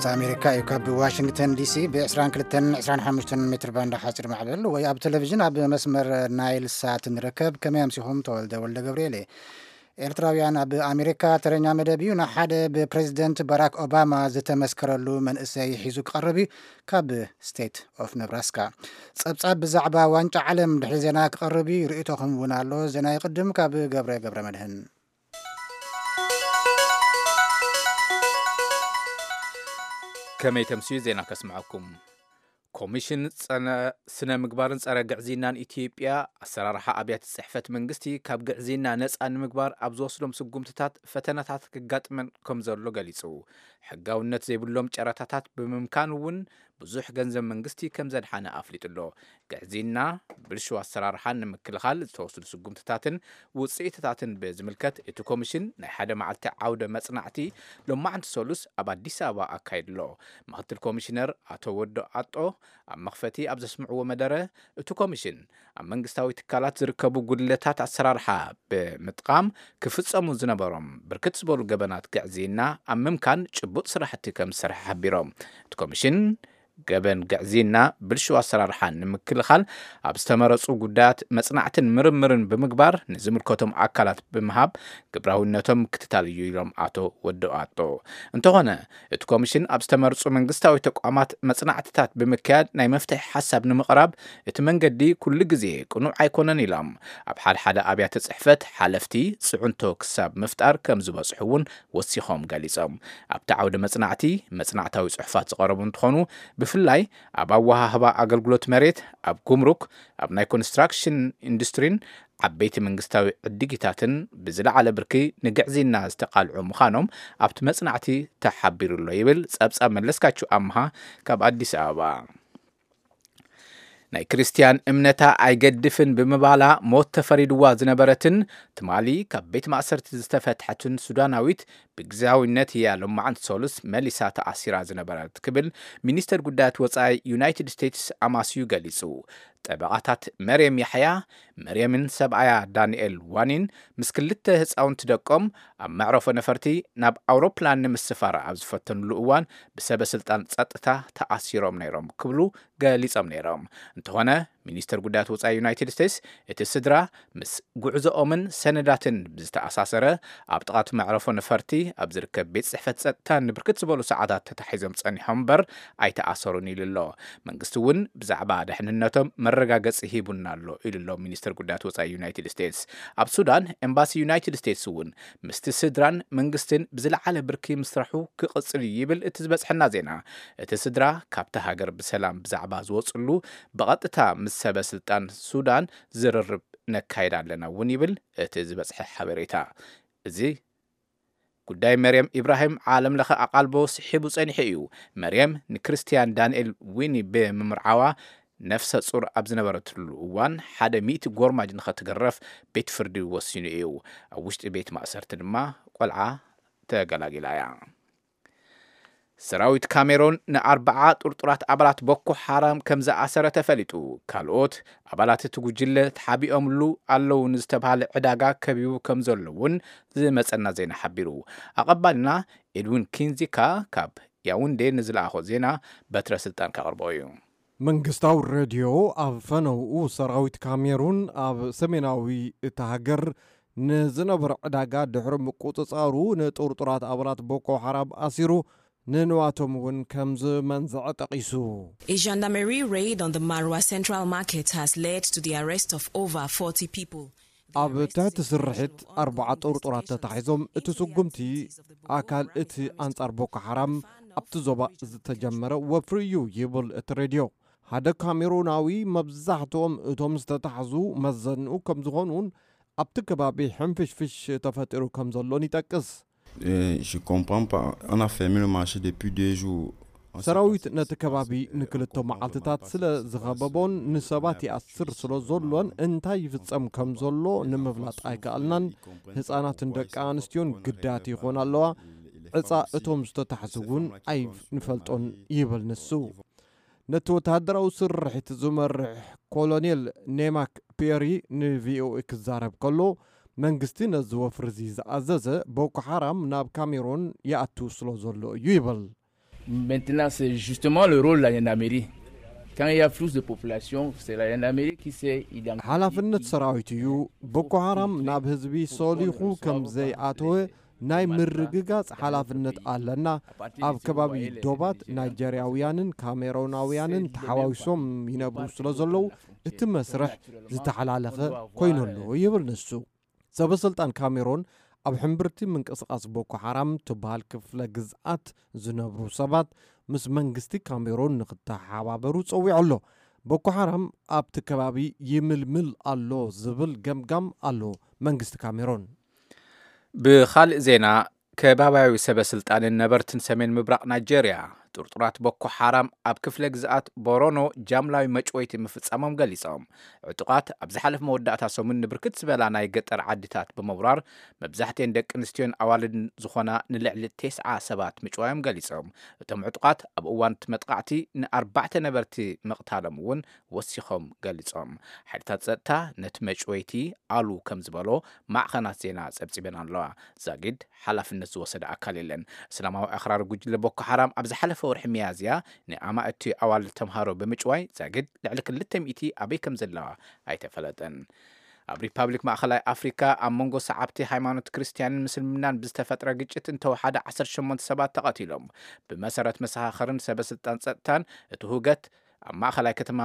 ኣሜሪካ እዩ። ካብ ዋሽንግተን ዲሲ ብ22 25 ሜትር ባንድ ሓፂር ማዕበል ወይ ኣብ ቴሌቪዥን ኣብ መስመር ናይል ሳት ንርከብ። ከመይ ኣምሲኹም? ተወልደ ወልደ ገብርኤል እየ። ኤርትራውያን ኣብ ኣሜሪካ ተረኛ መደብ እዩ። ንሓደ ብፕሬዚደንት ባራክ ኦባማ ዝተመስከረሉ መንእሰይ ሒዙ ክቐርብ እዩ። ካብ ስቴት ኦፍ ነብራስካ ጸብጻብ ብዛዕባ ዋንጫ ዓለም ድሕሪ ዜና ክቐርብ እዩ። ርእይቶኹም እውን ኣሎ። ዜና ይቕድም። ካብ ገብረ ገብረ መድህን። ከመይ ተምስዩ ዜና ከስምዐኩም። ኮሚሽን ጸነ-፣ ስነ ምግባርን ጸረ ግዕዝይናን ኢትዮጵያ ኣሰራርሓ ኣብያተ ጽሕፈት መንግስቲ ካብ ግዕዝይና ነጻ ንምግባር ኣብ ዝወስዶም ስጉምትታት ፈተናታት ክጋጥመን ከም ዘሎ ገሊጹ። ሕጋውነት ዘይብሎም ጨረታታት ብምምካን እውን ብዙሕ ገንዘብ መንግስቲ ከም ዘድሓነ ኣፍሊጡ ኣሎ። ግዕዝይና ብልሹ ኣሰራርሓን ንምክልኻል ዝተወስዱ ስጉምትታትን ውጽኢትታትን ብዝምልከት እቲ ኮሚሽን ናይ ሓደ መዓልቲ ዓውደ መጽናዕቲ ሎማዕንቲ ሰሉስ ኣብ ኣዲስ ኣበባ ኣካይዱ ኣሎ። ምክትል ኮሚሽነር ኣቶ ወዶ ኣጦ ኣብ መኽፈቲ ኣብ ዘስምዕዎ መደረ፣ እቲ ኮሚሽን ኣብ መንግስታዊ ትካላት ዝርከቡ ጉድለታት ኣሰራርሓ ብምጥቃም ክፍጸሙ ዝነበሮም ብርክት ዝበሉ ገበናት ግዕዝይና ኣብ ምምካን ጭቡጥ ስራሕቲ ከም ዝሰርሐ ሓቢሮም። እቲ ኮሚሽን ገበን ግዕዝይና ብልሹ ኣሰራርሓ ንምክልኻል ኣብ ዝተመረጹ ጉዳያት መጽናዕትን ምርምርን ብምግባር ንዝምልከቶም ኣካላት ብምሃብ ግብራዊነቶም ምክትታል እዩ ኢሎም ኣቶ ወዲ ኣጦ። እንተኾነ እቲ ኮሚሽን ኣብ ዝተመርጹ መንግስታዊ ተቋማት መጽናዕትታት ብምክያድ ናይ መፍትሒ ሓሳብ ንምቕራብ እቲ መንገዲ ኩሉ ግዜ ቅኑዕ ኣይኮነን ኢሎም። ኣብ ሓደ ሓደ ኣብያተ ጽሕፈት ሓለፍቲ ጽዕንቶ ክሳብ ምፍጣር ከም ዝበጽሑ እውን ወሲኾም ገሊጾም። ኣብቲ ዓውደ መጽናዕቲ መጽናዕታዊ ጽሑፋት ዝቐረቡ እንትኾኑ፣ ብፍላይ ኣብ ኣወሃህባ ኣገልግሎት መሬት፣ ኣብ ጉምሩክ፣ ኣብ ናይ ኮንስትራክሽን ኢንዱስትሪን ዓበይቲ መንግስታዊ ዕድጊታትን ብዝለዓለ ብርኪ ንግዕዝይና ዝተቓልዑ ምዃኖም ኣብቲ መጽናዕቲ ተሓቢሩ ኣሎ ይብል ጸብጻብ መለስካቸው ኣምሃ ካብ ኣዲስ ኣበባ። ናይ ክርስትያን እምነታ ኣይገድፍን ብምባላ ሞት ተፈሪድዋ ዝነበረትን ትማሊ ካብ ቤት ማእሰርቲ ዝተፈትሐትን ሱዳናዊት ብግዝያዊነት እያ ሎማዕንቲ ሰሉስ መሊሳ ተኣሲራ ዝነበረት ክብል ሚኒስተር ጉዳያት ወጻኢ ዩናይትድ ስቴትስ ኣማስዩ ገሊጹ። ጠበቓታት መርየም ያሕያ፣ መርየምን ሰብኣያ ዳንኤል ዋኒን ምስ ክልተ ህፃውንቲ ደቆም ኣብ መዕረፎ ነፈርቲ ናብ ኣውሮፕላን ንምስፋር ኣብ ዝፈተኑሉ እዋን ብሰበ ስልጣን ጸጥታ ተኣሲሮም ነይሮም ክብሉ ገሊጾም ነይሮም። እንተኾነ ሚኒስተር ጉዳያት ወጻኢ ዩናይትድ ስቴትስ እቲ ስድራ ምስ ጉዕዞኦምን ሰነዳትን ብዝተኣሳሰረ ኣብ ጥቓ እቲ መዕረፎ ነፈርቲ ኣብ ዝርከብ ቤት ጽሕፈት ጸጥታ ንብርክት ዝበሉ ሰዓታት ተታሒዞም ጸኒሖም እምበር ኣይተኣሰሩን ኢሉ ኣሎ። መንግስቲ እውን ብዛዕባ ደሕንነቶም መረጋገጺ ሂቡና ኣሎ ኢሉ ኣሎ ሚኒስተር ጉዳያት ወጻኢ ዩናይትድ ስቴትስ። ኣብ ሱዳን ኤምባሲ ዩናይትድ ስቴትስ እውን ምስቲ ስድራን መንግስትን ብዝለዓለ ብርኪ ምስራሑ ክቕጽል እዩ ይብል እቲ ዝበጽሐና ዜና። እቲ ስድራ ካብቲ ሃገር ብሰላም ብዛዕባ ዝወጽሉ ብቐጥታ ምስ ሰበ ስልጣን ሱዳን ዝርርብ ነካይድ ኣለና እውን ይብል እቲ ዝበጽሐ ሓበሬታ። እዚ ጉዳይ መርየም ኢብራሂም ዓለም ለኸ ኣቓልቦ ስሒቡ ጸኒሑ እዩ። መርየም ንክርስትያን ዳንኤል ዊኒ ብምምርዓዋ ነፍሰ ጹር ኣብ ዝነበረትሉ እዋን ሓደ ሚእቲ ጎርማጅ ንኸትግረፍ ቤት ፍርዲ ወሲኑ እዩ። ኣብ ውሽጢ ቤት ማእሰርቲ ድማ ቆልዓ ተገላጊላ እያ። ሰራዊት ካሜሮን ንኣርብዓ ጥርጡራት ኣባላት ቦኮ ሓራም ከም ዝኣሰረ ተፈሊጡ። ካልኦት ኣባላት እቲ ጉጅለ ተሓቢኦምሉ ኣለዉ ንዝተባሃለ ዕዳጋ ከቢቡ ከም ዘሎ እውን ዝመጸና ዜና ሓቢሩ። ኣቐባልና ኤድዊን ኪንዚካ ካብ ያውንዴ ንዝለኣኾ ዜና በትረ ስልጣን ከቕርቦ እዩ። መንግስታዊ ሬድዮ ኣብ ፈነውኡ ሰራዊት ካሜሩን ኣብ ሰሜናዊ እታ ሃገር ንዝነበረ ዕዳጋ ድሕሪ ምቁጽጻሩ ንጥርጡራት ኣባላት ቦኮ ሓራም ኣሲሩ ንንዋቶም እውን ከም ዝመንዝዐ ጠቒሱ። A gendarmerie raid on the Marwa Central Market has led to the arrest of over forty people. ኣብ ትሕቲ ስርሒት ኣርባዓ ጥርጡራት ተታሒዞም፣ እቲ ስጉምቲ ኣካል እቲ ኣንጻር ቦኮ ሓራም ኣብቲ ዞባ ዝተጀመረ ወፍሪ እዩ ይብል እቲ ሬድዮ። ሓደ ካሜሩናዊ መብዛሕትኦም እቶም ዝተታሕዙ መዘንኡ ከም ዝኾኑን ኣብቲ ከባቢ ሕንፍሽፍሽ ተፈጢሩ ከም ዘሎን ይጠቅስ። Euh, je comprends pas. On a fermé le marché depuis deux jours. On sait pas ሰራዊት ce qui ነቲ se ከባቢ passe. ንክልተ መዓልትታት ስለ ዝኸበቦን ንሰባት ይኣስር ስለ ዘሎን እንታይ ይፍጸም ከም ዘሎ ንምፍላጥ ኣይከኣልናን። ህጻናትን ደቂ ኣንስትዮን ግዳያት ይኾና ኣለዋ። ዕጻ እቶም ዝተታሕዙ እውን ኣይንፈልጦን ይብል ንሱ። ነቲ ወተሃደራዊ ስርሒት ዝመርሕ ኮሎኔል ኔማክ ፒየሪ ንቪኦኤ ክዛረብ ከሎ መንግስቲ ነዚ ወፍሪ እዚ ዝኣዘዘ ቦኮ ሓራም ናብ ካሜሮን ይኣቱ ስለ ዘሎ እዩ ይብል። Maintenant, c'est justement le rôle de la gendarmerie. Quand il y a plus de population, c'est la gendarmerie qui sait identifier. ሓላፍነት ሰራዊት እዩ። ቦኮ ሓራም ናብ ህዝቢ ሶሊኹ ከም ዘይኣተወ ናይ ምርግጋጽ ሓላፍነት ኣለና። ኣብ ከባቢ ዶባት ናይጀርያውያንን ካሜሮናውያንን ተሓዋዊሶም ይነብሩ ስለ ዘለዉ እቲ መስርሕ ዝተሓላለኸ ኮይኑ ኣሎ ይብል ንሱ። ሰበ ስልጣን ካሜሮን ኣብ ሕምብርቲ ምንቅስቃስ ቦኮ ሓራም ትበሃል ክፍለ ግዝኣት ዝነብሩ ሰባት ምስ መንግስቲ ካሜሮን ንክተሓባበሩ ጸዊዑ ኣሎ። ቦኮ ሓራም ኣብቲ ከባቢ ይምልምል ኣሎ ዝብል ገምጋም ኣሎ መንግስቲ ካሜሮን። ብኻልእ ዜና፣ ከባብያዊ ሰበ ስልጣንን ነበርትን ሰሜን ምብራቕ ናይጄርያ ጥርጡራት ቦኮ ሓራም ኣብ ክፍለ ግዝኣት ቦሮኖ ጃምላዊ መጭወይቲ ምፍጻሞም ገሊጾም። ዕጡቓት ኣብ ዝሓለፈ መወዳእታ ሰሙን ንብርክት ዝበላ ናይ ገጠር ዓድታት ብምውራር መብዛሕትኤን ደቂ ኣንስትዮን ኣዋልድን ዝኾና ንልዕሊ ተስዓ ሰባት ምጭዋዮም ገሊጾም። እቶም ዕጡቓት ኣብ እዋን እቲ መጥቓዕቲ ንኣርባዕተ ነበርቲ ምቕታሎም እውን ወሲኾም ገሊጾም። ሓይልታት ጸጥታ ነቲ መጭወይቲ ኣሉ ከም ዝበሎ ማዕኸናት ዜና ጸብጺበን ኣለዋ። ዛጊድ ሓላፍነት ዝወሰደ ኣካል የለን። እስላማዊ ኣኽራሪ ጉጅለ ቦኮ ሓራም ኣብ ዝሓለፈ ወርሒ ሚያዝያ ንኣማእቲ ኣዋልድ ተምሃሮ ብምጭዋይ ዛጊድ ልዕሊ ክልተ ሚእቲ ኣበይ ከም ዘለዋ ኣይተፈለጠን። ኣብ ሪፓብሊክ ማእኸላይ ኣፍሪካ ኣብ መንጎ ሰዓብቲ ሃይማኖት ክርስትያንን ምስልምናን ብዝተፈጥረ ግጭት እንተወሓደ ዓሰርተ ሸሞንተ ሰባት ተቐቲሎም። ብመሰረት መሰኻኽርን ሰበ ስልጣን ጸጥታን እቲ ሁገት ኣብ ማእኸላይ ከተማ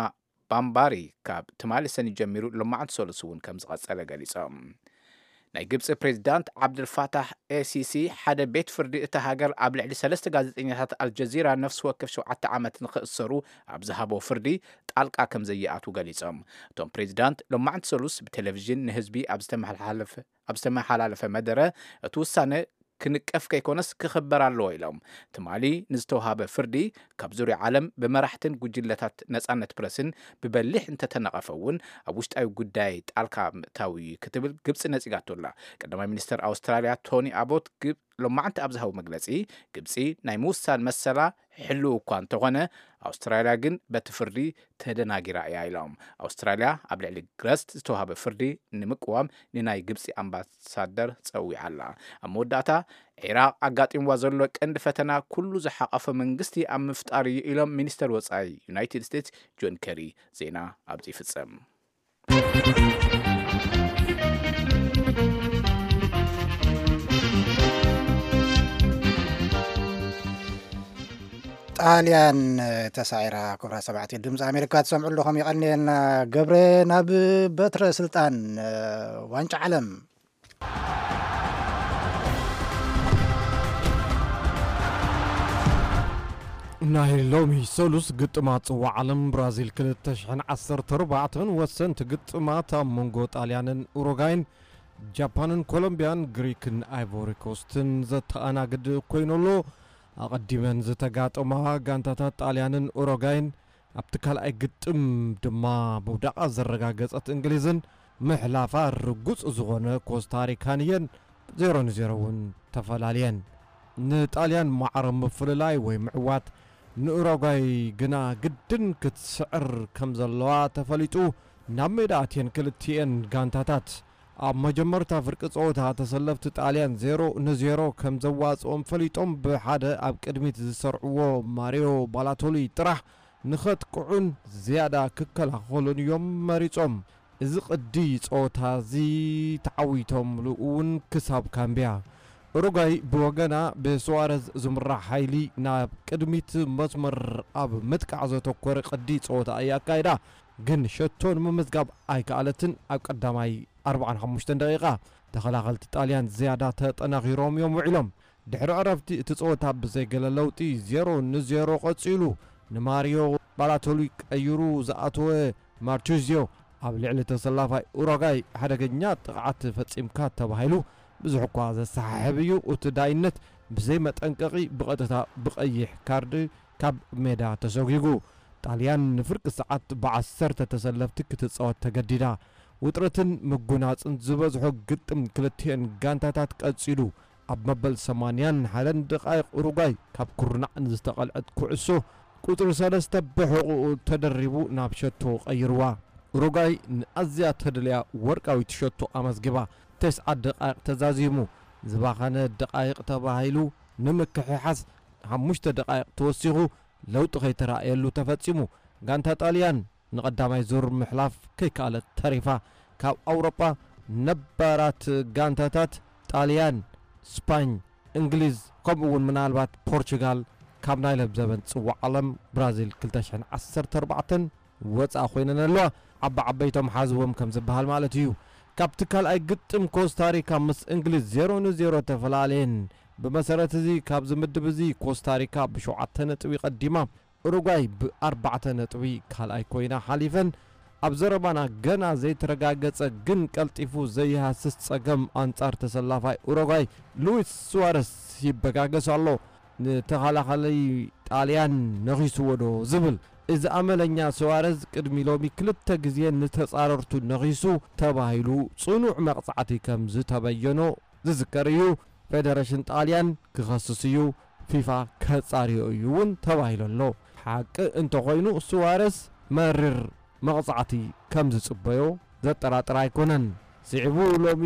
ባምባሪ ካብ ትማሊ ሰኒ ጀሚሩ ሎማዕንቲ ሰሉስ እውን ከም ዝቐጸለ ገሊጾም። ናይ ግብጺ ፕሬዚዳንት ዓብደልፋታሕ ኤሲሲ ሓደ ቤት ፍርዲ እታ ሃገር ኣብ ልዕሊ ሰለስተ ጋዜጠኛታት ኣልጀዚራ ነፍሲ ወከፍ ሸውዓተ ዓመት ንኽእሰሩ ኣብ ዝሃቦ ፍርዲ ጣልቃ ከም ዘይኣትዉ ገሊጾም። እቶም ፕሬዚዳንት ሎማዕንቲ ሰሉስ ብቴሌቪዥን ንህዝቢ ኣብ ዝተመሓላለፈ ኣብ ዝተመሓላለፈ መደረ እቲ ውሳነ ክንቀፍ ከይኮነስ ክኽበር ኣለዎ ኢሎም። ትማሊ ንዝተውሃበ ፍርዲ ካብ ዙርያ ዓለም ብመራሕትን ጉጅለታት ነጻነት ፕረስን ብበሊሕ እንተተነቐፈ እውን ኣብ ውሽጣዊ ጉዳይ ጣልካ ምእታው እዩ ክትብል ግብጺ ነጺጋቶ ኣላ። ቀዳማይ ሚኒስተር ኣውስትራልያ ቶኒ ኣቦት ግብ ሎማዕንቲ ኣብ ዝሃቡ መግለጺ ግብጺ ናይ ምውሳን መሰላ ሕልው እኳ እንተኾነ ኣውስትራልያ ግን በቲ ፍርዲ ተደናጊራ እያ ኢሎም። ኣውስትራልያ ኣብ ልዕሊ ግረስት ዝተዋህበ ፍርዲ ንምቅዋም ንናይ ግብጺ ኣምባሳደር ጸዊዓ ኣላ። ኣብ መወዳእታ ዒራቕ ኣጋጢምዋ ዘሎ ቀንዲ ፈተና ኩሉ ዝሓቐፈ መንግስቲ ኣብ ምፍጣር እዩ ኢሎም ሚኒስተር ወጻኢ ዩናይትድ ስቴትስ ጆን ከሪ። ዜና ኣብዚ ይፍጸም። ጣልያን ተሳዒራ። ክቡራት ሰማዕቲ ድምፂ ኣሜሪካ ትሰምዑ ኣለኹም፣ የቐንየልና። ገብረ ናብ በትረ ስልጣን ዋንጫ ዓለም። ናይ ሎሚ ሰሉስ ግጥማት ጽዋዕ ዓለም ብራዚል ክልተ ሽሕን ዓሰርተ ኣርባዕተን ወሰንቲ ግጥማት ኣብ መንጎ ጣልያንን ኡሩጋይን፣ ጃፓንን ኮሎምቢያን፣ ግሪክን ኣይቮሪ ኮስትን ዘተኣናግድ ኮይኑ ኣሎ። ኣቐዲመን ዝተጋጠማ ጋንታታት ጣልያንን ኡሩጋይን ኣብቲ ካልኣይ ግጥም ድማ ምውዳቓ ዘረጋገጸት እንግሊዝን ምሕላፋ ርጉጽ ዝኾነ ኮስታሪካን እየን ዜሮ ንዜሮ እውን ተፈላልየን። ንጣልያን ማዕረ ምፍልላይ ወይ ምዕዋት፣ ንኡሩጓይ ግና ግድን ክትስዕር ከም ዘለዋ ተፈሊጡ። ናብ ሜዳ ኣትየን ክልቲኤን ጋንታታት ኣብ መጀመርታ ፍርቂ ጸወታ ተሰለፍቲ ጣልያን ዜሮ ንዜሮ ከም ዘዋጽኦም ፈሊጦም፣ ብሓደ ኣብ ቅድሚት ዝሰርዕዎ ማሪዮ ባላቶሊ ጥራሕ ንኸጥቅዑን ዝያዳ ክከላኸሉን እዮም መሪጾም። እዚ ቅዲ ጸወታ እዚ ተዓዊቶምሉ እውን ክሳብ ካምብያ። ኡሩጓይ ብወገና ብሱዋረዝ ዝምራሕ ሓይሊ ናብ ቅድሚት መስመር ኣብ ምጥቃዕ ዘተኮረ ቅዲ ጸወታ እያ ኣካይዳ፣ ግን ሸቶ ንምምዝጋብ ኣይከኣለትን። ኣብ ቀዳማይ ኣርባዓን ሓሙሽተን ደቂቓ ተኸላኸልቲ ጣልያን ዝያዳ ተጠናኺሮም እዮም ውዒሎም። ድሕሪ ዕረፍቲ እቲ ጸወታ ብዘይ ገለ ለውጢ ዜሮ ንዜሮ ቀጺሉ። ንማሪዮ ባላቶሊ ቀይሩ ዝኣተወ ማርቹዝዮ ኣብ ልዕሊ ተሰላፋይ ኡሩጓይ ሓደገኛ ጥቕዓት ፈጺምካ ተባሂሉ ብዙሕ እኳ ዘሰሓሕብ እዩ፣ እቲ ዳይነት ብዘይ መጠንቀቒ ብቐጥታ ብቐይሕ ካርድ ካብ ሜዳ ተሰጒጉ። ጣልያን ንፍርቂ ሰዓት ብዓሰርተ ተሰለፍቲ ክትጻወት ተገዲዳ። ውጥረትን ምጉናጽን ዝበዝሖ ግጥም ክልቲኤን ጋንታታት ቀጺሉ። ኣብ መበል ሰማንያን ሓደን ደቓይቕ ኡሩጓይ ካብ ኩርናዕ ንዝተቐልዐት ኩዕሶ ቁጽሪ ሰለስተ ብሕቑኡ ተደሪቡ ናብ ሸቶ ቀይርዋ። ኡሩጓይ ንኣዝያ ተድልያ ወርቃዊት ሸቶ ኣመዝጊባ። ተስዓ ደቓይቕ ተዛዚሙ። ዝባኸነ ደቓይቕ ተባሂሉ ንምክሕሓስ ሓሙሽተ ደቓይቕ ተወሲኹ ለውጢ ከይተራእየሉ ተፈጺሙ። ጋንታ ጣልያን ንቐዳማይ ዙር ምሕላፍ ከይከኣለት ተሪፋ። ካብ ኣውሮጳ ነባራት ጋንታታት ጣልያን፣ ስፓኝ፣ እንግሊዝ፣ ከምኡ እውን ምናልባት ፖርቹጋል ካብ ናይ ለብዘበን ጽዋዕ ዓለም ብራዚል ክልተ ሽሕን ዓሰርተ ኣርባዕተን ወጻኢ ኮይነን ኣለዋ። ዓቢ ዓበይቶም ሓዝዎም ከም ዝበሃል ማለት እዩ። ካብቲ ካልኣይ ግጥም ኮስታሪካ ምስ እንግሊዝ ዜሮ ንዜሮ ተፈላለየን። ብመሰረት እዚ ካብዚ ምድብ እዚ ኮስታሪካ ብሸውዓተ ነጥቢ ቀዲማ፣ ኡሩጓይ ብኣርባዕተ ነጥቢ ካልኣይ ኮይና ሓሊፈን። ኣብ ዘረባና ገና ዘይተረጋገጸ ግን ቀልጢፉ ዘይሃስስ ጸገም ኣንጻር ተሰላፋይ ኡሩጓይ ሉዊስ ሱዋረስ ይበጋገስ ኣሎ። ንተኸላኻሊ ጣልያን ነኺስዎ ዶ ዝብል። እዚ ኣመለኛ ሱዋረዝ ቅድሚ ሎሚ ክልተ ግዜ ንተጻረርቱ ነኺሱ ተባሂሉ ጽኑዕ መቕጻዕቲ ከም ዝተበየኖ ዝዝከር እዩ። ፌደሬሽን ጣልያን ክኸስስ እዩ፣ ፊፋ ከጻርዮ እዩ እውን ተባሂሉ ኣሎ። ሓቂ እንተኾይኑ ሱዋረስ መሪር መቕጻዕቲ ከም ዝጽበዮ ዘጠራጥር ኣይኮነን። ስዒቡ ሎሚ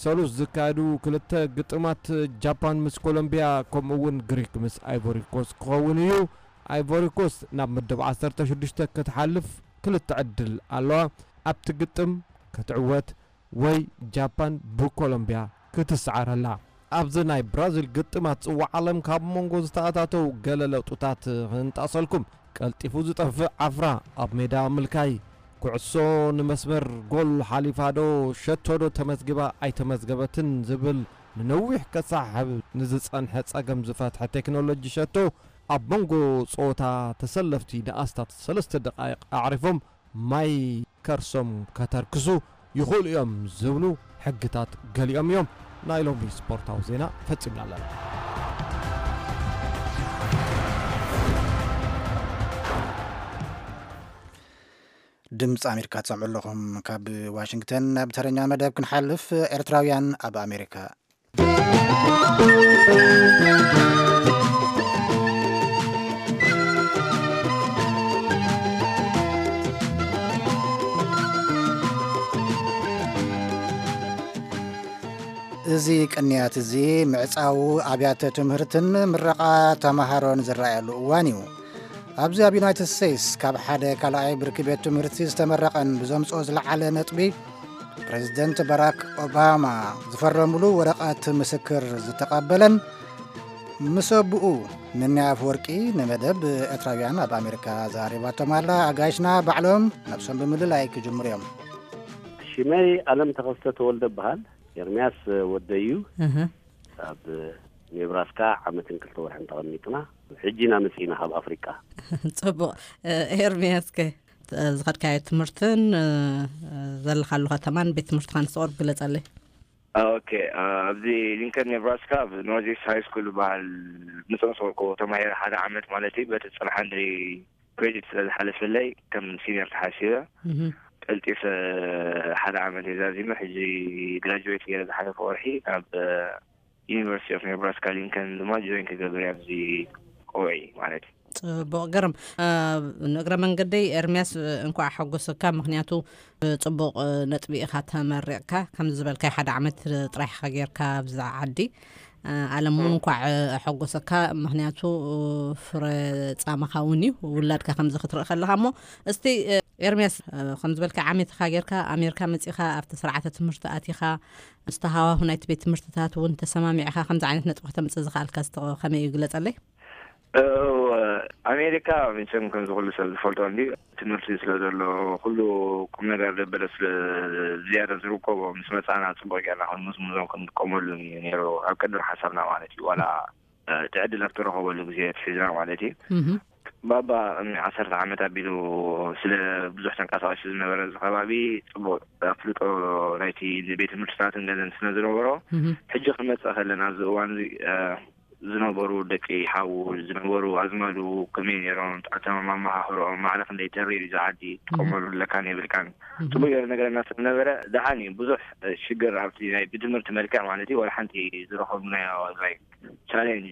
ሰሉስ ዝካየዱ ክልተ ግጥማት ጃፓን ምስ ኮሎምቢያ ከምኡ እውን ግሪክ ምስ ኣይቮሪኮስ ክኸውን እዩ። ኣይቮሪኮስ ናብ ምድብ ዓሰርተ ሽዱሽተ ክትሓልፍ ክልተ ዕድል ኣለዋ። ኣብቲ ግጥም ክትዕወት ወይ ጃፓን ብኮሎምቢያ ክትስዓረላ። ኣብዚ ናይ ብራዚል ግጥማት ጽዋዕ ዓለም ካብ መንጎ ዝተኣታተው ገለ ለውጥታት ክንጣሰልኩም። ቀልጢፉ ዝጠፍእ ዓፍራ ኣብ ሜዳ ምልካይ። ኩዕሶ ንመስመር ጎል ሓሊፋ ዶ ሸቶ ዶ ተመዝግባ ኣይተመዝገበትን ዝብል ንነዊሕ ከሳሕብ ንዝጸንሐ ጸገም ዝፈትሐ ቴክኖሎጂ ሸቶ ኣብ መንጎ ጸወታ ተሰለፍቲ ንኣስታት ሰለስተ ደቃይቕ ኣዕሪፎም ማይ ከርሶም ከተርክሱ ይኽእሉ እዮም ዝብሉ ሕግታት ገሊኦም እዮም። ናይ ሎሚ ስፖርታዊ ዜና ፈጺምና ኣለና። ድምፂ ኣሜሪካ ትሰምዑ ኣለኹም። ካብ ዋሽንግተን ናብ ተረኛ መደብ ክንሓልፍ፣ ኤርትራውያን ኣብ ኣሜሪካ። እዚ ቅንያት እዚ ምዕጻው ኣብያተ ትምህርትን ምረቓ ተመሃሮን ዝረኣየሉ እዋን እዩ። ኣብዚ ኣብ ዩናይትድ ስቴትስ ካብ ሓደ ካልኣይ ብርኪ ቤት ትምህርቲ ዝተመረቐን ብዘምጽኦ ዝለዓለ ነጥቢ ፕሬዚደንት ባራክ ኦባማ ዝፈረምሉ ወረቐት ምስክር ዝተቐበለን ምስ ኣቦኡ ንንያ ኣፍወርቂ ንመደብ ኤርትራውያን ኣብ ኣሜሪካ ዘራረባቶም ኣላ። ኣጋይሽና ባዕሎም ነብሶም ብምልላይ ክጅምሩ እዮም። ሽመይ ኣለም ተኸስተ ተወልደ እበሃል። ኤርምያስ ወደይ እዩ። እህ። ኣብ ኔብራስካ ዓመትን ክልተ ወርሕን ተቐሚጥና። ሕጂ ኢና መጺእና ካብ ኣፍሪቃ። ጽቡቕ። ኤርምያስ ከ ዝኸድካዮ ትምህርትን ዘለኻሉ ከተማን ቤት ትምህርትኻን እስቲ ቁሩብ ግለጸለይ። ኦኬ፣ ኣብዚ ሊንከን ኔብራስካ ኣብ ኖርዝ ኢስት ሃይ ስኩል ዝበሃል ምጽንሶ ተማሂረ ሓደ ዓመት ማለት እዩ። በቲ ጽንሓ እንድሪ ክሬዲት ስለ ዝሓለፈለይ ከም ሲኒየር ተሓሲበ። እህ። ቀልጢፈ ሓደ ዓመት እየ ዛዚመ። ሕጂ ግራጁዌት ገይረ ዝሓለፈ ወርሒ ናብ ዩኒቨርሲቲ ኦፍ ኔብራስካ ሊንከን ድማ ጆይን ክገብር እየ ኣብዚ ቆውዒ ማለት እዩ። ጽቡቕ፣ ግርም። እ፣ ንእግረ መንገደይ ኤርምያስ፣ እ፣ እንኳዕ ሓጎሰካ። ምኽንያቱ፣ እ፣ ጽቡቕ፣ እ፣ ነጥቢ ኢኻ ተመሪቕካ። ከምዚ ዝበልካይ ሓደ ዓመት ጥራሕ ኢኻ ጌርካ ኣብዛ ዓዲ። እ፣ ኣለም እውን እ። እንኳዕ፣ እ፣ ኣሐጎሰካ። ምኽንያቱ፣ እ፣ ፍረ ጻማኻ እውን እዩ፣ ውላድካ ከምዚ ክትርኢ ከለኻ። እሞ እስቲ፣ እ፣ ኤርምያስ፣ እ፣ ከም ዝበልካይ ዓመት ኢኻ ጌርካ ኣሜሪካ መጺኻ ኣብቲ ስርዓተ ትምህርቲ ኣቲኻ፣ ምስቲ ሃዋሁ ናይቲ ቤት ትምህርትታት እውን ተሰማሚዕካ ከምዚ ዓይነት ነጥቢ ከተምጽእ ዝኸኣልካ እስቲ ከመይ እዩ ግለጸለይ? እወ፣ ኣሜሪካ መቸም ከምዚ ኩሉ ሰብ ዝፈልጦ እንድዩ፣ ትምህርቲ ስለ ዘሎ፣ ኩሉ ቁም ነገር ደበለ ስለ ዝያዳ ዝርከቦ፣ ምስ መጻና ጽቡቕ ጌርና ክንምዝምዞን ክንጥቀመሉን እዩ ነይሩ፣ ኣብ ቅድሚ ሓሳብና ማለት እዩ። ዋላ፣ እ፣ እቲ ዕድል ኣብ ተረኸበሉ ግዜ ኣትሒዝና ማለት እዩ። እህ። ባባ ቅድሚ ዓሰርተ ዓመት ኣቢሉ ስለ ብዙሕ ተንቀሳቒሱ ዝነበረ እዚ ከባቢ ጽቡቕ ኣፍልጦ ናይቲ ቤት ትምህርትታትን ገለን ስለ ዝነበሮ፣ እህ። ሕጂ ክመጽእ ከለና ኣብዚ እዋን እዚ፣ እ፣ ዝነበሩ ደቂ ሓዉ፣ ዝነበሩ ኣዝማዱ ከመይ ነይሮም፣ ኣተማማምሃ ኣህሮኦም፣ ማዕረ ክንደይ ተሪር እዩ፣ እዚ ዓዲ ትጥቀመሉ ኣለካን የብልካን፣ እህ። ጽቡቅ ገይሩ ነገረና ስለ ነበረ፣ ደሓን እዩ። ብዙሕ ሽግር ኣብቲ ናይ ብትምህርቲ መልክዕ ማለት እዩ፣ ወላ ሓንቲ ዝረኸብናዮ፣ ላይክ፣ ቻሌንጅ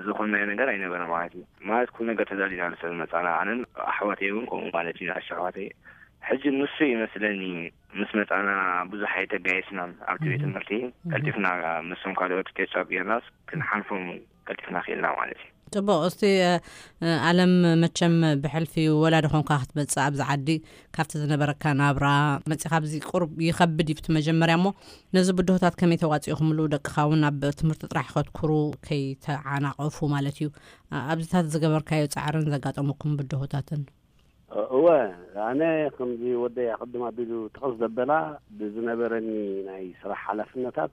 ዝኾንናዮ ነገር ኣይነበረ ማለት እዩ። ማለት ኩሉ ነገር ተዳሊና ስለ ዝመጻና፣ ኣነን ኣሕዋተይ እውን ከምኡ ማለት እዩ፣ ንኣሽቱ ኣሕዋተይ። ሕጂ ንሱ ይመስለኒ ምስ መጻና ብዙሕ ኣይተጋየስናን ኣብቲ ቤት እህ። ትምህርቲ። እህ። ቀልጢፍና ምስቶም ካልኦት ኬች ኣፕ ጌርናስ ክንሓልፎም ቀልጢፍና ክኢልና ማለት እዩ። ጽቡቕ። እስቲ ኣለም፣ መቸም ብሕልፊ ወላዲ ኾንካ ክትመጽእ ኣብዚ ዓዲ፣ ካብቲ ዝነበረካ ናብራ መጺኻ ኣብዚ ቁርብ ይኸብድ እዩ እቲ መጀመርያ እሞ፣ ነዚ ብድሆታት ከመይ ተዋጺእኹምሉ? ደቅኻ እውን ኣብ ትምህርቲ ጥራሕ ከትኩሩ ከይተዓናቐፉ ማለት እዩ። ኣብዚታት ዝገበርካዮ ጻዕርን ዘጋጠሙኩም ብድሆታትን? እወ፣ ኣነ ከምዚ ወደይ ኣቐድም ኣቢሉ ጥቕስ ዘበላ፣ ብዝነበረኒ ናይ ስራሕ ሓላፍነታት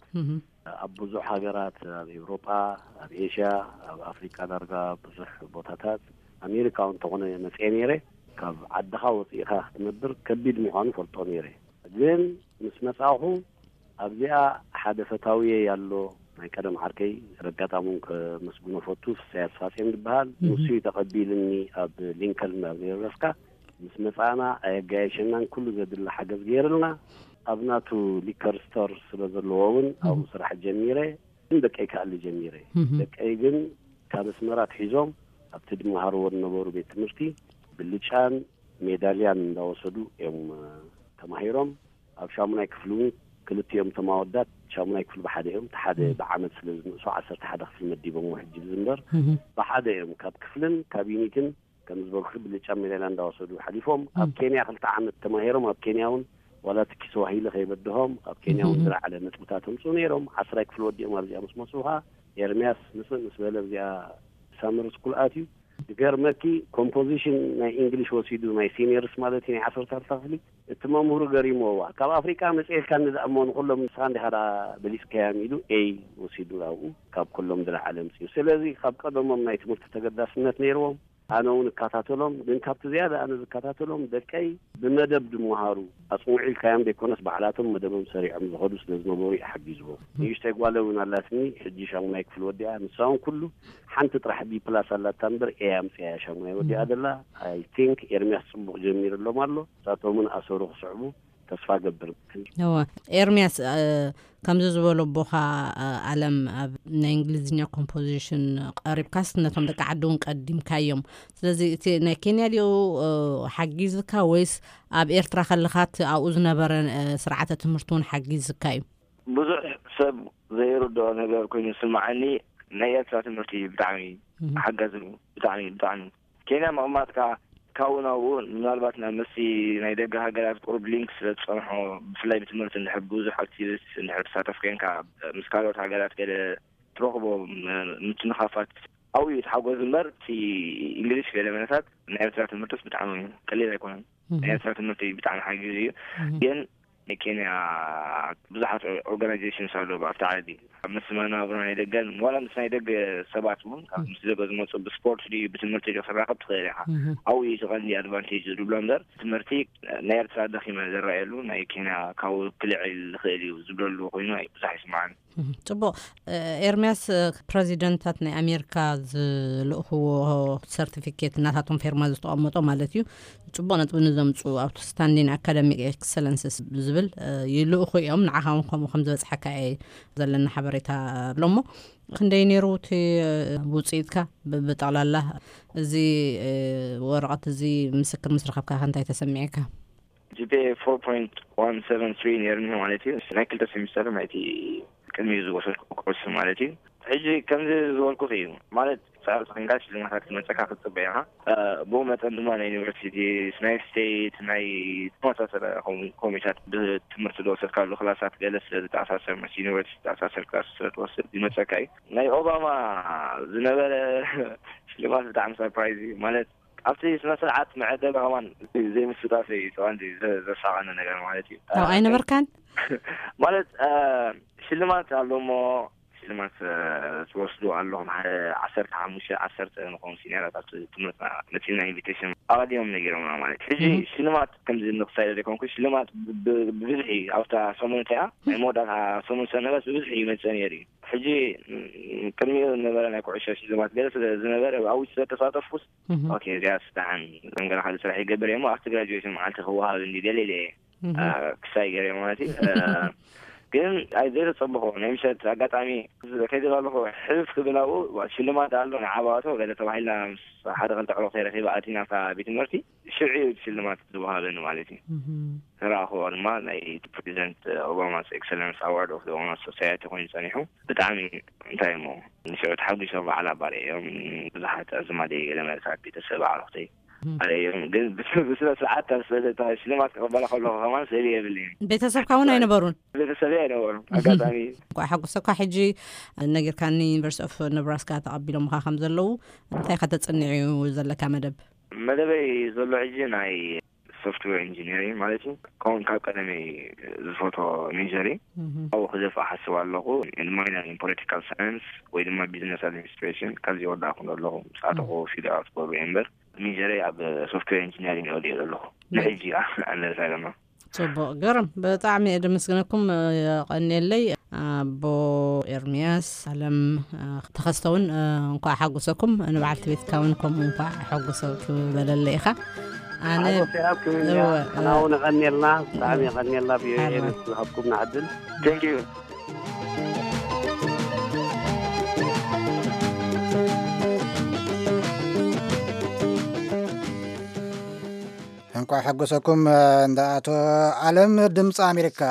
ኣብ ብዙሕ ሃገራት፣ ኣብ ኤውሮጳ፣ ኣብ ኤሽያ፣ ኣብ ኣፍሪቃ፣ ዳርጋ ብዙሕ ቦታታት፣ ኣሜሪካ እውን እንተኾነ መፅኤ ነይረ። ካብ ዓድኻ ወፂእኻ ክትነብር ከቢድ ምዃኑ ፈልጦ ነይረ። ግን ምስ መፃኹ ኣብዚኣ ሓደ ፈታውየ ኣሎ፣ ናይ ቀደም ዓርከይ፣ ረጋጣሙን ከመስግኖ ፈቱ፣ ፍስያስ ፋጼን ዝበሃል። ንሱ እዩ ተቐቢልኒ ኣብ ሊንከልን ኣብ ኔብራስካ። ምስ መጻና ኣየጋየሸናን፣ ኩሉ ዘድሊ ሓገዝ ገይርልና። ኣብ ናቱ ሊከር ስቶር ስለ ዘለዎ እውን ኣብኡ ስራሕ ጀሚረ። ግን ደቀይ ክኣሊ ጀሚረ። ደቀይ ግን ካብ ኣስመራ ኣትሒዞም ኣብቲ ድመሃርዎ ዝነበሩ ቤት ትምህርቲ ብልጫን ሜዳልያን እንዳወሰዱ እዮም ተማሂሮም። ኣብ ሻሙናይ ክፍሊ እውን ክልቲኦም እቶም ኣወዳት ሻሙናይ ክፍሊ ብሓደ እዮም። እቲ ሓደ ብዓመት ስለ ዝንእሶ ዓሰርተ ሓደ ክፍሊ መዲቦም ሕጂ ዝንበር ብሓደ እዮም ካብ ክፍልን ካብ ዩኒትን ከም ዝበልኩ ብልጫ ሜዳልያ እንዳወሰዱ ሓሊፎም። ኣብ ኬንያ ክልተ ዓመት ተማሂሮም ኣብ ኬንያ እውን ዋላ ትኪ ስዋሂሊ ከይበድሆም ኣብ ኬንያ እውን ዝለዓለ ነጥብታት ኣምፅኡ ነይሮም። ዓስራይ ክፍሊ ወዲኦም ኣብዚኣ ምስ መፅኡ ከዓ ኤርምያስ ምፅእ ምስ በለ ኣብዚኣ ሳመር ስኩል ኣትዩ። ዝገርመኪ ኮምፖዚሽን ናይ ኢንግሊሽ ወሲዱ ናይ ሲኒየርስ ማለት እዩ ናይ ዓሰርተ ክልተ ክፍሊ እቲ መምህሩ ገሪሞዋ ካብ ኣፍሪቃ መፅኤልካ ንዝኣሞ ንኩሎም ንስኻ እንዲኻ ደኣ በሊፅካዮም ኢሉ ኤይ ወሲዱ ኣብኡ ካብ ኩሎም ዝለዓለ ኣምፅኡ። ስለዚ ካብ ቀደሞም ናይ ትምህርቲ ተገዳስነት ነይርዎም። ኣነ እውን እከታተሎም፣ ግን ካብቲ ዝያዳ ኣነ ዝከታተሎም ደቀይ ብመደብ ድመሃሩ ኣፅንዑ ኢልካዮም ዘይኮነስ ባዕላቶም መደቦም ሰሪዖም ዝኸዱ ስለ ዝነበሩ እዩ ሓጊዝዎም። ንእሽተይ ጓለ እውን ኣላትኒ ሕጂ ሻሙናይ ክፍሊ ወዲኣ፣ ንሳ እውን ኩሉ ሓንቲ ጥራሕ ቢ ፕላስ ኣላታ እምበር ኤ ኣምፅያ እያ ሻሙናይ ወዲኣ ዘላ። ኣይ ቲንክ ኤርሚያስ ፅቡቕ ጀሚርሎም ኣሎ። ንሳቶም እውን ኣሰሩ ክስዕቡ ተስፋ ገብር። እወ፣ ኤርምያስ፣ እ፣ ከምዚ ዝበሎ ኣቦኻ፣ እ፣ ኣለም ኣብ ናይ እንግሊዝኛ ኮምፖዚሽን ቀሪብካስ ነቶም ደቂ ዓዲ እውን ቀዲምካዮም። ስለዚ እቲ ናይ ኬንያ ድዩ፣ እ፣ ሓጊዝካ ወይስ ኣብ ኤርትራ ከለኻ እቲ ኣብኡ ዝነበረ፣ እ፣ ስርዓተ ትምህርቲ እውን ሓጊዝካ እዩ? ብዙሕ ሰብ ዘይርድኦ ነገር ኮይኑ ዝስምዓኒ ናይ ኤርትራ ትምህርቲ ብጣዕሚ ሓጋዚ እዩ። ብጣዕሚ፣ ብጣዕሚ። ኬንያ ምቕማጥካ ካብኡ ናብኡ ምናልባት ናብ ምስቲ ናይ ደገ ሃገራት ቁሩብ ሊንክ ስለ ዝጸንሖ፣ ብፍላይ ብትምህርቲ እንድሕር ብዙሕ ኣክቲቪስት እንድሕር ትሳተፍ ኮንካ፣ ምስ ካልኦት ሃገራት ገለ ትረኽቦ ም-፣ ምትንኻፋት ኣብኡ እዩ እቲ ሓጎስ እምበር፣ እቲ እንግሊሽ ገለ መለታት ናይ ኤርትራ ትምህርትስ ብጣዕሚ ቀሊል ኣይኮነን። ናይ ኤርትራ ትምህርቲ ብጣዕሚ ሓጊዙ እዩ። ግን ናይ ኬንያ ብዙሓት ኦርጋናይዜሽንስ ኣለዉ ኣብቲ ዓዲ። ኣብ ምስ መናብሮ ናይ ደገን ዋላ ምስ ናይ ደገ ሰባት እውን፣ ካብ ምስ ደገ ዝመፁ ብስፖርት ድዩ ብትምህርቲ ድዩ ክራኸብ ትኽእል ኢኻ። ኣብኡ እዩ እቲ ቀንዲ ኣድቫንቴጅ ዝብሎ እምበር ትምህርቲ ናይ ኤርትራ ደኺመ ዝረኣየሉ፣ ናይ ኬንያ ካብኡ ክልዕል ዝኽእል እዩ ዝብለሉ ኮይኑ ኣይ-፣ ብዙሕ ኣይስምዓን። እህ፣ ጽቡቕ። እ፣ ኤርምያስ፣ እ፣ ፕረዚደንታት ናይ ኣሜሪካ ዝልእኽዎ ሰርቲፊኬት ናታቶም ፌርማ ዝተቐመጦ ማለት እዩ። ጽቡቕ ነጥቢ ንዘምጽኡ ኣውትስታንዲን ኣካደሚክ ኤክሰለንስስ ዝብል፣ እ፣ ይልእኹ እዮም። ንዓኻ እውን ከምኡ ከም ዝበጽሓካ እየ ዘለና ሓበሬታ ብሎሞ። ክንደይ ነይሩ እቲ፣ እ፣ ውጽኢትካ ብ-፣ ብጠቕላላ እዚ፣ እ፣ ወረቐት እዚ ምስክር ምስ ረኸብካ ከ እንታይ ተሰሚዕካ? ጂ ፒ ኤ ፎር ፖይንት ዋን ሰቨን ትሪ ነይሩኒ ማለት እዩ። ናይ ክልተ ሴሚስተር ናይቲ ቅድሚኡ ዝወሰድኩ ኮርስ ማለት እዩ። ሕጂ ከምዚ ዝበልኩኺ እዩ ማለት፣ ሰኣልቲ ኮይንካ ሽልማታት ክመፀካ ክትፅበ ኢኻ። እ፣ ብኡ መጠን ድማ ናይ ዩኒቨርሲቲ፣ ናይ ስቴት፣ ናይ ተመሳሰለ ኮም-፣ ኮሚታት ብትምህርቲ ዝወሰድካሉ ክላሳት ገለ ስለ ዝተኣሳሰር፣ ምስ ዩኒቨርሲቲ ዝተኣሳሰር ክላስ ስለ ትወስድ ይመፀካ እዩ። ናይ ኦባማ ዝነበረ ሽልማት ብጣዕሚ ሰርፕራይዝ እዩ ማለት፣ ኣብቲ ስነ ስርዓት መዐደሊ ከማን ዘይምስታፈይ እዩ እቲ ቀንዲ ዘ-፣ ዘሳቐኒ ነገር ማለት እዩ። ካብ እ፣ ኣይነበርካን? ማለት፣ እ፣ ሽልማት ኣሎ እሞ ሽልማት፣ እ፣ ትወስዱ ኣለኹም። ሓደ ዓሰርተ ሓሙሽተ ዓሰርተ ንኾኑ ሲኒየራት ኣብቲ ትምህርትና መፂና ኢንቪቴሽን ኣቐዲሞም ነጊሮምና ማለት እዩ። ሕጂ እህ። ሽልማት ከምዚ ንኽሳይ ዘይኮንኩ ሽልማት ብ-፣ ብ-፣ ብብዝሒ ኣብታ ሰሙን እቲኣ ናይ መወዳእታ ሰሙን ሰነበስ ብብዝሒ ይመፅእ ነይሩ እዩ። ሕጂ፣ ም-፣ ቅድሚኡ ዝነበረ ናይ ኩዕሾ ሽልማት ገለ ስለ ዝነበረ ኣብኡ ስለ ተሳተፍኩስ፣ እህ። ኦኬ፣ እዚኣስ ደሓን ከም ገለ ካልእ ስራሕ ይገብር እየ እሞ ኣብቲ ግራጁዌሽን መዓልቲ ክወሃብ እንዲ ገለ ኢለ እየ፣ እህ። አ፣ ክሳይ ገይረ ማለት እዩ። አ፣ ግን ኣይዘይተጸበኹ ናይ ምሸት ኣጋጣሚ ከይደ ኣለኹ ሕልፍ ክብል ኣብኡ ሽልማት ኣሎ ንዓባዋቶ ገለ ተባሂልና ምስ ሓደ ክልተ ዕሩኽ ተረኺበ ኣቲና ኣብታ ቤት ትምህርቲ። ሽዑ እዩ ሽልማት ዝወሃበኒ ማለት እዩ። ተረኣኽዎ ድማ ናይ ፕሬዚደንት ኦባማስ ኤክሰለንስ ኣዋርድ ኦፍ ኦባማ ሶሳይቲ ኮይኑ ጸኒሑ። ብጣዕሚ እንታይ እሞ ንሽዑ ተሓጒሰ በዓል ኣባሪ እዮም። ብዙሓት ኣዝማደይ ገለ መለሳት ቤተሰብ ኣዕሩኽተይ ኣርእዮም። ግን ብስነ ስርዓት ሽልማት ክቕበላ ከለኹ ከማን ስእሊ የብልኝ። ቤተሰብካ እውን ኣይነበሩን? ቤተሰብይ ኣይነበሩን። ኣጋጣሚ እንኳዕ ሓጎሰካ። ሕጂ ነጊርካኒ ዩኒቨርሲቲ ኦፍ ነብራስካ ተቐቢሎምኻ ከም ዘለዉ። እንታይ ኢኻ ተጽንዕ እዩ ዘለካ መደብ? መደበይ ዘሎ ሕጂ ናይ ሶፍትዌር ኢንጂኒሪንግ ማለት እዩ። ከምኡን ካብ ቀደመይ ዝፈቶ ሜጀር እዩ። ኣብኡ ክደፍእ ሓስብ ኣለኹ። ማይነር ን ፖለቲካል ሳይንስ ወይ ድማ ቢዝነስ ኣድሚኒስትሬሽን ካብዚ ወዳእኩ ኣለኹ። ምስኣተኹ ፊልድ ኣውት ክገብሩ እየ እምበር ሜጀረይ ኣብ ሶፍትዌር ኢንጂኒሪንግ ወዲኦ ዘለኹ። ንሕጂ ኣለዛ ድማ ጽቡቕ፣ ግርም። ብጣዕሚ እየ ደመስግነኩም። የቐንየለይ። ኣቦ ኤርምያስ ኣለም ተኸስተውን እንኳዕ ሓጎሰኩም። ንበዓልቲ ቤትካ እውን ከምኡ እንኳዕ ሓጎሰ ክበለለ ኢኻ። ኣነ ኣጎሰ ይሃብኩም። እወ፣ ኣና እውን የቐንየልና። ብጣዕሚ የቐንየልና። ብዮ ሓርማት። ዝሃብኩም ንዓድል። Thank you። እንኳዕ ሓጎሰኩም። እንዳ ኣቶ ኣለም ድምፂ ኣሜሪካ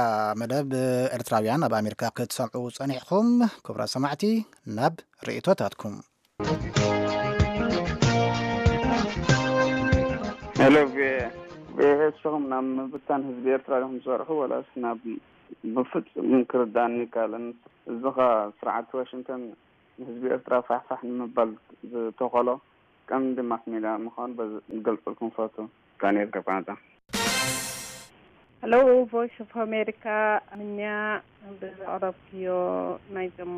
መደብ ኤርትራውያን ኣብ ኣሜሪካ ክትሰምዑ ጸኒሕኩም። ክቡራት ሰማዕቲ ናብ ርእይቶታትኩም። ሄሎ። ብኤስኹም ናብ ምብታን ህዝቢ ኤርትራ ዲኹም ትሰርሑ ወላስ ናብ ብፍጹም ክርዳኒ ይካለን። እዚኻ ስርዓት ዋሽንግተን ንህዝቢ ኤርትራ ፋሕፋሕ ንምባል ዝተኸሎ ቀንዲ ማስ ሜድያ ምዃኑ በዚ ክገልጸልኩም ፈቱ። ዳንኤል ካብ ካናዳ። Hello, Voice of America. ምንያ ብዘቕረብክዮ ናይዞም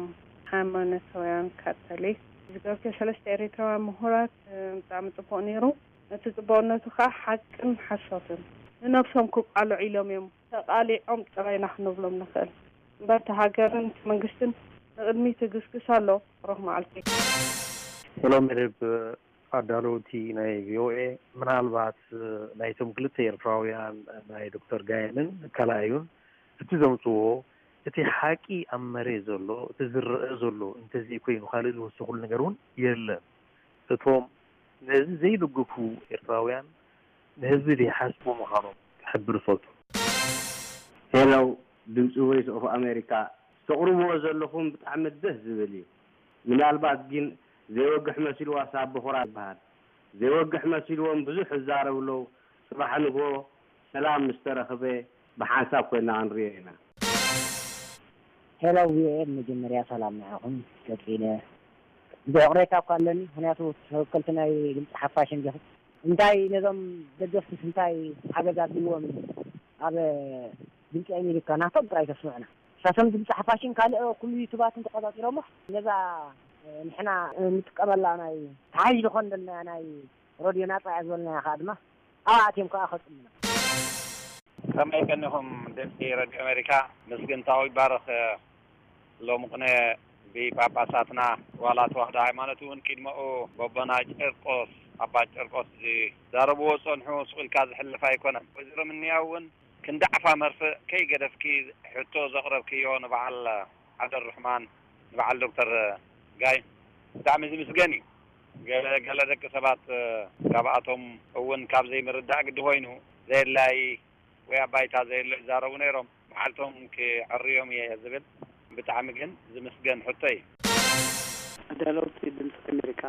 ሃይማኖታውያን ካቶሊክ ዝገብርክዮ ሰለስተ ኤሪትራውያን ምሁራት ብጣዕሚ ጽቡቕ ነይሩ። እቲ ጽቡቕነቱ ከዓ ሓቅን ሓሶትን ንነብሶም ክቃልዑ ኢሎም እዮም። ተቓሊዖም ጥራይ ኢና ክንብሎም ንኽእል እምበር እቲ ሃገርን እቲ መንግስትን ንቕድሚት ይግስግስ ኣሎ። ብሩኽ መዓልቲ። ሰላም መደብ ኣዳለውቲ ናይ ቪኦኤ፣ ምናልባት ናይቶም ክልተ ኤርትራውያን ናይ ዶክተር ጋየንን ካልኣዩን እቲ ዘምፅዎ እቲ ሓቂ ኣብ መሬት ዘሎ እቲ ዝረአ ዘሎ እንተዘይኮይኑ ካልእ ዝወሰኹሉ ነገር እውን የለን። እቶም ነዚ ዘይድግፉ ኤርትራውያን ንህዝቢ ዘይሓስቡ ምዃኖም ክሕብር እፈቱ። ሄሎ ድምፂ ቮይስ ኦፍ ኣሜሪካ፣ ተቕርብዎ ዘለኹም ብጣዕሚ ደስ ዝብል እዩ። ምናልባት ግን ዘይወግሕ መሲልዋ ሳብ በኹራ ይበሃል። ዘይወግሕ መሲልዎም ብዙሕ ይዛረቡ ኣለዉ። ፅባሕ ንግሆ ሰላም ምስ ተረኽበ ብሓንሳብ ኮይና ክንሪኦ ኢና። ሄሎ ቪኦኤ፣ ብመጀመርያ ሰላም ንዓኹም። ቀጺለ ብዙሕ ቅሬታ እኳ ኣለኒ፣ ምኽንያቱ ተወከልቲ ናይ ድምፂ ሓፋሽ እንዲኹም። እንታይ ነዞም ደገፍትስ እንታይ ሓገዝ ኣድልይዎም እዩ? ኣብ ድምፂ ኣሜሪካ ናቶም ጥራይ ተስምዑና። ንሳቶም ድምፂ ሓፋሽን ካልእ ኩሉ ዩቱባትን ተቆፃፂሮሞ ነዛ ንሕና ንጥቀመላ ናይ ተሓሒዝ ዝኾን ዘለና ናይ ረድዮ ናፃ እያ ዝበልናያ ከዓ ድማ ኣብኣ ኣትዮም ከዓ ከፅሙና። ከመይ ቀኒኹም ድምፂ ረድዮ ኣሜሪካ? ምስግንታዊ ይባረኽ። ሎሚ ቅነ ብጳጳሳትና ዋላ ተዋህዶ ሃይማኖት እውን ቅድመኡ በቦና ጨርቆስ ኣባ ጨርቆስ ዝዛረብዎ ዝፀንሑ ስቕ ኢልካ ዝሕልፍ ኣይኮነን። ወይዘሮ ምንያ እውን ክንዲ ዓፋ መርፍእ ከይገደፍኪ ሕቶ ዘቕረብክዮ ንበዓል ዓብደልርሕማን ንበዓል ዶክተር ጋይ ብጣዕሚ ዝምስገን እዩ። ገለ ገለ ደቂ ሰባት ካብኣቶም እውን ካብ ዘይምርዳእ ግዲ ኮይኑ ዘየድላይ ወይ ኣብ ባይታ ዘየሎ ይዛረቡ ነይሮም። መዓልቶም ክዕርዮም እየ ዝብል ብጣዕሚ ግን ዝምስገን ሕቶ እዩ። ኣዳለውቲ ድምፂ ኣሜሪካ፣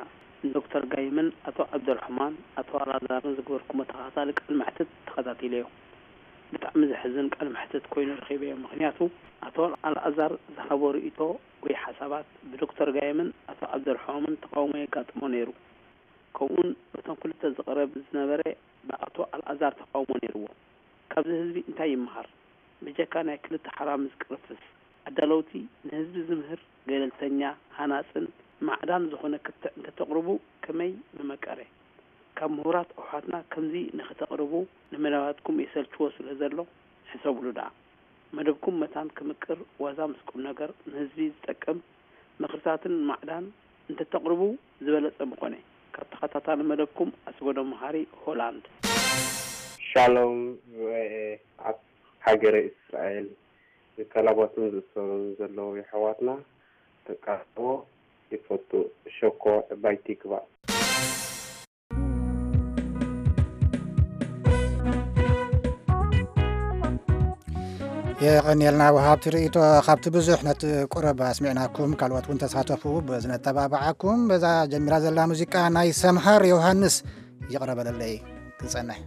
ንዶክተር ጋይምን ኣቶ ዓብደርሕማን ኣቶ ኣልኣዛርን ዝገበርኩሞ ተኸታታሊ ቃል መሕትት ተኸታቲለዮ። ብጣዕሚ ዘሕዝን ቃል መሕትት ኮይኑ ረኺበዮ። ምኽንያቱ ኣቶ ኣልኣዛር ዝሃቦ ርእይቶ ወይ ሓሳባት ብዶክተር ጋይምን ኣቶ ዓብደርሕማምን ተቓውሞ የጋጥሞ ነይሩ። ከምኡውን በቶም ክልተ ዝቐረብ ዝነበረ ብኣቶ ኣልኣዛር ተቓውሞ ነይርዎ። ካብዚ ህዝቢ እንታይ ይመሃር? ብጀካ ናይ ክልተ ሓራ ምዝቅርፍስ ኣዳለውቲ ንህዝቢ ዝምህር ገለልተኛ፣ ሃናጽን ማዕዳን ዝኾነ ክትዕ እንተተቕርቡ ከመይ ምመቀረ። ካብ ምሁራት ኣሕዋትና ከምዚ ንኽተቕርቡ ንመደባትኩም የሰልችዎ ስለ ዘሎ ሕሰብሉ ደኣ። መደብኩም መታን ክምቅር ዋዛ ምስ ቁምነገር ንህዝቢ ዝጠቅም ምኽርታትን ማዕዳን እንተተቕርቡ ዝበለጸ ምኾነ። ካብ ተኸታታሊ መደብኩም ኣስገዶም መሃሪ ሆላንድ። ሻሎም ቪኦኤ ኣብ ሃገረ እስራኤል ንካላባቱን ዝእሰሩን ዘለዉ የሕዋትና ተቃርቦ ይፈቱ። ሸኮ ዕባይቲ ይግባእ። የቐንየልና ወሃብቲ ርእይቶ። ካብቲ ብዙሕ ነቲ ቁረብ ኣስሚዕናኩም፣ ካልኦት እውን ተሳተፉ። በዚ ነተባብዓኩም። በዛ ጀሚራ ዘላ ሙዚቃ ናይ ሰምሃር ዮሃንስ ይቕረበለለይ ክጸንሕ።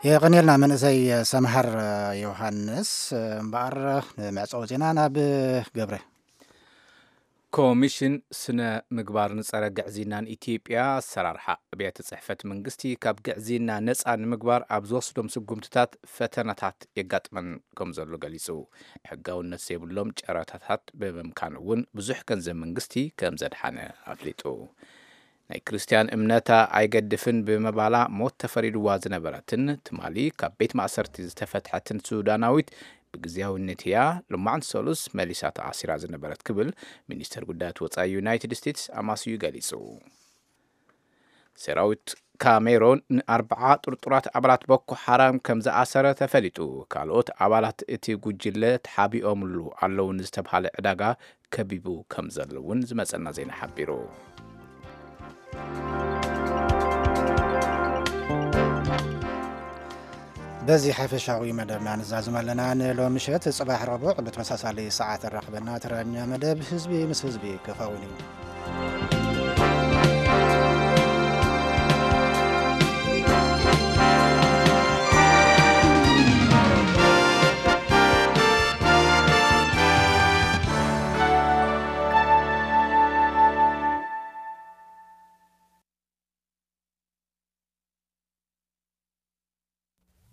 የቐንየልና መንእሰይ ሰምሃር ዮሃንስ። እምበኣር፣ ንመዕጸዊ ዜና ናብ ገብረ። ኮሚሽን ስነ ምግባርን ጸረ ግዕዝይናን ኢትዮጵያ ኣሰራርሓ ኣብያተ ጽሕፈት መንግስቲ ካብ ግዕዝይና ነጻ ንምግባር ኣብ ዝወስዶም ስጉምትታት ፈተናታት የጋጥመን ከም ዘሎ ገሊጹ። ሕጋውነት ዘይብሎም ጨረታታት ብምምካን እውን ብዙሕ ገንዘብ መንግስቲ ከም ዘድሓነ ኣፍሊጡ። ናይ ክርስትያን እምነታ ኣይገድፍን ብምባላ ሞት ተፈሪድዋ ዝነበረትን ትማሊ ካብ ቤት ማእሰርቲ ዝተፈትሐትን ሱዳናዊት ብግዜያዊነት እያ። ሎማዕንቲ ሰሉስ መሊሳ ተኣሲራ ዝነበረት ክብል ሚኒስተር ጉዳያት ወጻኢ ዩናይትድ ስቴትስ ኣማስዩ ገሊጹ። ሰራዊት ካሜሮን ንኣርብዓ ጥርጡራት ኣባላት ቦኮ ሓራም ከም ዝኣሰረ ተፈሊጡ። ካልኦት ኣባላት እቲ ጉጅለ ተሓቢኦምሉ ኣለዉ ንዝተብሃለ ዕዳጋ ከቢቡ ከም ዘሎ እውን ዝመጸና ዜና ሓቢሩ። በዚ ሓፈሻዊ መደብና ንዛዝም ኣለና። ንሎሚ ምሸት ጽባሕ ረቡዕ ብተመሳሳሊ ሰዓት ኣራኽበና። ተራኛ መደብ ህዝቢ ምስ ህዝቢ ክኸውን እዩ።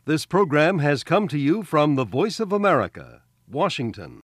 This program has come to you from the Voice of America, Washington.